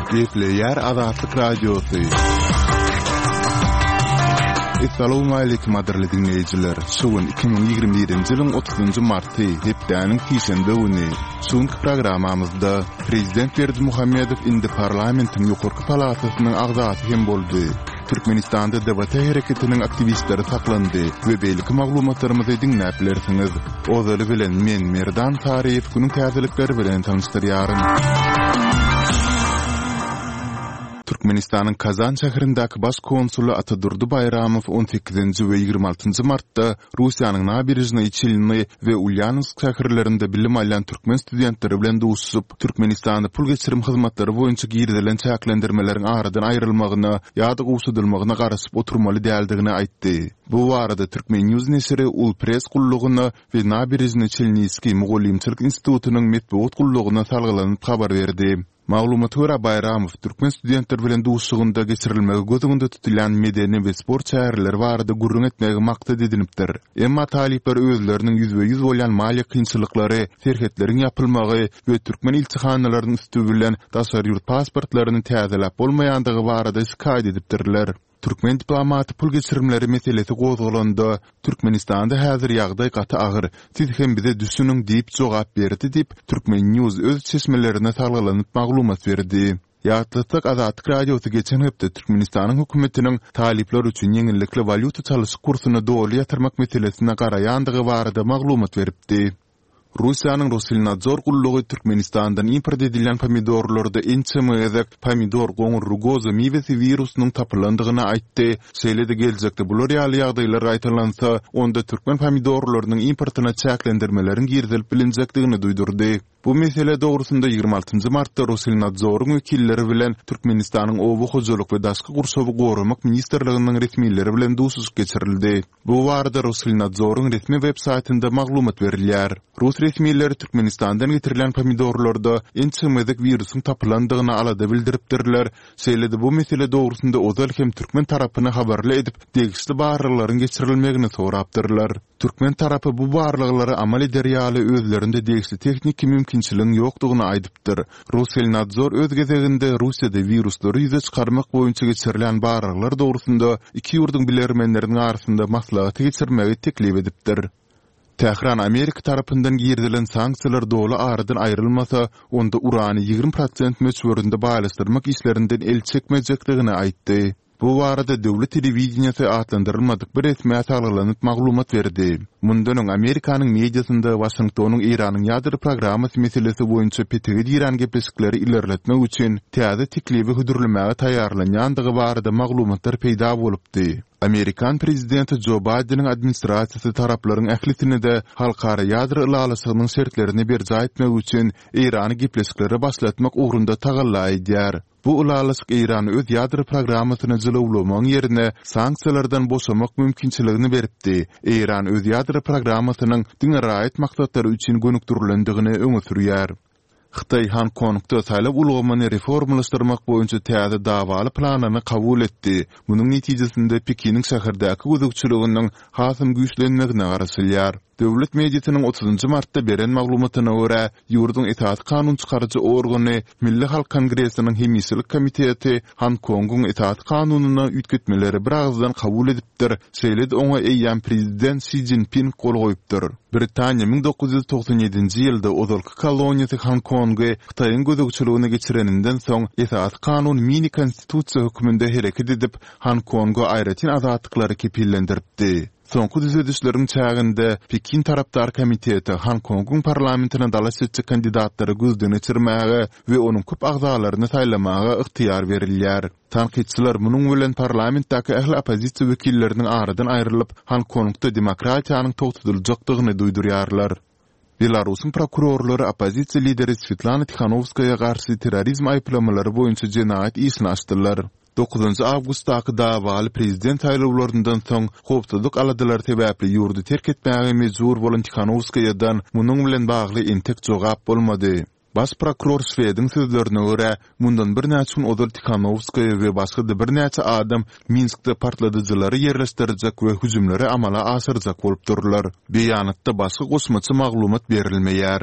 Gepleýär Azatlyk Radiosy. Essalawmaleýkim gadyrly diňleýjiler! Şu gün 2021-nji ýylyň 30-njy marty, hepdäniň sişenbe güni. Şu günki programmamyzda Prezident Berdimuhamedow indi parlamentiň ýokarky palatasynyň agzasy hem boldy. Türkmenistanda DBT hereketiniň aktiwistleri saklandy we beýleki maglumatlarymyzy diňläp bilersiňiz. Ozaly bilen men Merdan Saryýew günüň täzelikleri bilen tanyşdyrýaryn. Türkmenistanyň Kazan şäherindäki baş konsuly Atadurdy Baýramow on sekizinji we 26 njy martda Russiýanyň Naberežnyý Çelny we Ulýanowsk şäherlerinde bilim alýan türkmen studentleri bilen duşuşyp, Türkmenistanda pul geçirim hyzmatlary boýunça girizilen çäklendirmeleriň aradan aýrylmagyna ýa-da gowşadylmagyna garaşyp oturmaly däldigini aýtdy. Bu barada Turkmen. News neşiri Ulpress gullugyna we Naberežnyý Çelnyýskiý mugallymçylyk institutynyň metbugat gullugyna salgylanyp habar berdi. Maglumata görä, Baýramow türkmen studentleri bilen duşuşygynda geçirilmegi göz öňünde tutulýan medeni we sport çäreleri barada gürrüň etmegi maksat edinipdir. Emma talyplar özleriniň ýüzbe-ýüz bolýan maliýe kynçylyklary, serhetleriň ýapylmagy we türkmen ilçihanalarynyň üsti bilen daşary ýurt pasportlaryny täzeläp bolmaýandygy barada şikaýat edipdirler. Türkmen diplomaty pul geçirimleri meselesi gozgalanda, Türkmenistanda häzir ýagdaý gaty agyr, siz hem bize düşüniň diýip jogap berdi diýip, Turkmen. News öz çeşmelerine salgylanyp maglumat berdi. Ýatlatsak, Azatlyk Radiosy geçen hepde Türkmenistanyň hökümetiniň talyplar üçin ýeňillikli walýuta çalyşyk kursuny doly ýatyrmak meselesine garaýandygy barada maglumat beripdi. Russiýanyň Rosselnadzor gullugy Türkmenistandan import edilýän pomidorlarda ençeme gezek pomidor goňur rugoza miwesi wirusynyň tapylandygyny aýtdy, şeýle-de geljekde bular ýaly ýagdaýlar gaýtalansa, onda türkmen pomidorlarynyň importyna çäklendirmeleriň girizilip bilinjekdigini duýdurdy. Bu mesele dogrusynda 26 martda Rosselnadzoryň wekilleri bilen Türkmenistanyň Oba hojalyk we daşky gurşawy goramak ministrliginiň resmileri bilen duşuşyk geçirildi. Bu barada Rosselnadzoryň resmi web saýtynda maglumat berilýär. Rus resmileri Türkmenistandan getirilýän pomidorlarda ençeme gezek wirusyň tapylandygyna alada bildiripdirler, şeýle-de bu mesele dogrusynda ozal hem türkmen tarapyny habarly edip, degişli barlaglaryň geçirilmegini sorapdyrlar. Türkmen tarapy bu barlaglary amal eder ýaly özlerinde degişli tehniki mümkinçiligiň ýokdugyny aýdypdyr. Rosselnadzor öz gezeginde Russiýada wiruslary ýüze çykarmak boýunça geçirilýän barlaglar dogrusynda iki ýurduň bilermenleriniň arasynda maslahaty geçirmegi teklip edipdir. Tähran Amerika tarapyndan girizilen sanksiýalar doly aradan aýrylmasa, onda urany 20 prosent möçberinde baýlaşdyrmak işlerinden el çekmejekdigini aýtdy. Bu barada döwlet telewideniýesi atlandyrylmadyk bir resmä salgylanyp maglumat berdi. Mundan öň Amerikanyň mediasynda Waşingtonyň Eýranyň ýadro programmasy meselesi boýunça petege dirän gepleşikleri ilerletmek üçin täze teklibi hödürlemäge taýýarlanýandygy barada maglumatlar peýda bolupdy. Amerikan prezidenti Jo Baýdeniň administrasiýasy taraplaryň ählisine-de halkara ýadro ylalaşygynyň şertlerini berjaý etmek üçin Eýrany gepleşiklere başlatmak ugrunda tagalla edýär. Bu ylalaşyk Eýrana öz ýadro programmasyny jylawlamagyň ýerine sanksiýalardan boşamak mümkinçiligini beripdi. Eýran öz ýadro programmasynyň diňe raýat maksatlary üçin gönükdirilendigini öňe sürýär. Hytaý Hong-Kongda saýlaw ulgamyny reformalaşdyrmak boýunça täze dawaly planyny kabul etdi. Munuň netijesinde Pekiniň şäherdäki gözegçiliginiň hasam güýçlenmegine garaşylýar. Döwlet mediasynyň otuzynjy martda beren maglumatyna görä, ýurduň esasy kanun çykaryjy organy Milli halk kongresiniň hemişelik komiteti Honkongyň esasy kanunyna üýtgetmeleri biragyzdan kabul edipdir, şeýle-de oňa eýýäm prezident Şi Szinpin gol goýupdyr. Britaniýa 1997-nji ýylda ozalky koloniýasy Honkongy Hytaýyň gözegçiligine geçireninden soň, esasy kanun mini-konstitusiýa hökmünde hereket edip, Honkonga aýratyn azatlyklary kepillendiripdi. Soňky düzedişleriň çäginde Pekin tarapdar komiteti Honkongyň parlamentine dalaş etjek kandidatlary gözden geçirmäge we onuň köp agzalaryny saýlamaga ygtyýar berilýär. Tankytçylar munuň bilen parlamentdäki ähli oppozisiýa wekilleriniň aradan aýrylyp, Honkongda demokratiýanyň togtadyljakdygyny duýdurýarlar. Belarusyň prokurorlary oppozisiýa lideri Swetlana Tihanowskaýa garşy terrorizm aýyplamalary boýunça jenaýat işini açdylar. Dokuzynjy awgustdaky dawaly prezident saýlawlaryndan soň howpsuzlyk aladalary sebäpli ýurdy terk etmäge mejbur bolan Tihanowskaýadan munuň bilen bagly entek jogap bolmady. Baş prokuror Şwediň sözlerine görä, mundan birnäçe gün ozal Tihanowskaýa we başga-da birnäçe adam Minskde partladyjylary ýerleşdirjek we hüjümleri amala aşyrjak bolupdyrlar. Beýanatda başga goşmaça maglumat berilmeýär.